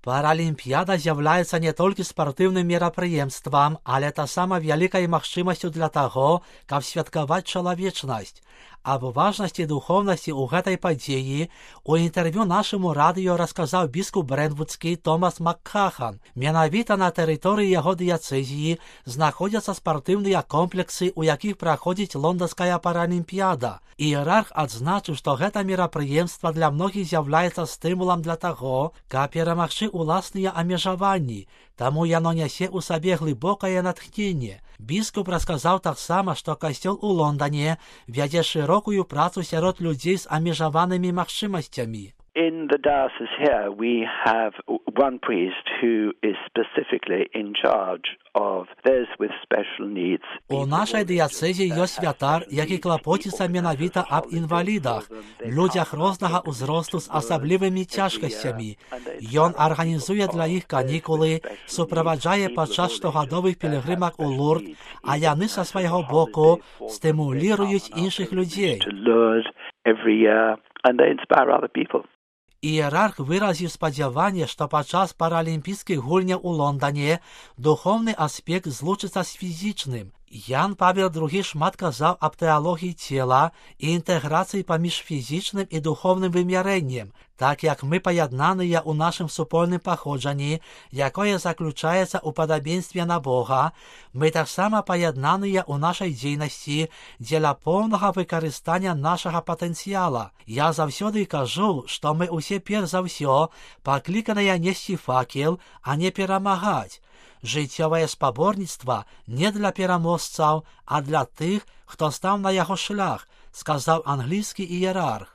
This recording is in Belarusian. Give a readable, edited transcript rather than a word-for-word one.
Паралімпіяда з'яўляецца не толькі спартыўным мерапрыемствам, але таксама вялікай магчымасцю для таго, каб святкаваць чалавечнасць. Аб важнасці духоўнасці ў гэтай падзеі у інтэрв'ю нашаму радыё расказаў біскуп брэнвудскі Томас Маккахан. Менавіта на тэрыторыі яго дыяцэзіі знаходзяцца спартыўныя комплексы, у якіх праходзіць лонданская паралімпіяда. Іерарх адзначыў, што гэта мерапрыемства для многіх з'яўляецца стымулам для таго, каб перамагчы уласныя абмежаванні, таму яно нясе ў сабе глыбокае натхненне. Біскуп расказаў таксама, што касцёл у Лондане вядзе шырокую працу сярод людзей з абмежаванымі магчымасцямі. In the diocese here, we have one priest who is specifically in charge of those with special needs. У нашай дыяцэзе ёсць святар, які клапоціцца менавіта аб інвалідах, людзях рознага ўзросту з асаблівымі цяжкасцямі. Ён арганізуе для іх канікулы, суправаджае падчас штогадовых пілігрымак у Лурд, а яны са свайго боку стымуліруюць іншых людзей. Іерарх выразіў спадзяванне, што падчас паралімпійскіх гульняў у Лондане духоўны аспект злучыцца з фізічным. Ян Павел II шмат казаў аб тэалогіі цела і інтэграцыі паміж фізічным і духоўным вымярэннем, так як мы паяднаныя ў нашым супольным паходжанні, якое заключаецца ў падабенстве на Бога, мы таксама паяднаныя ў нашай дзейнасці дзеля поўнага выкарыстання нашага патэнцыяла. Я заўсёды кажу, што мы ўсе перш за ўсё пакліканыя несці факел, а не перамагаць. Жыццёвае спаборніцтва не для пераможцаў, а для тых, хто стаў на яго шлях, сказаў англійскі іерарх.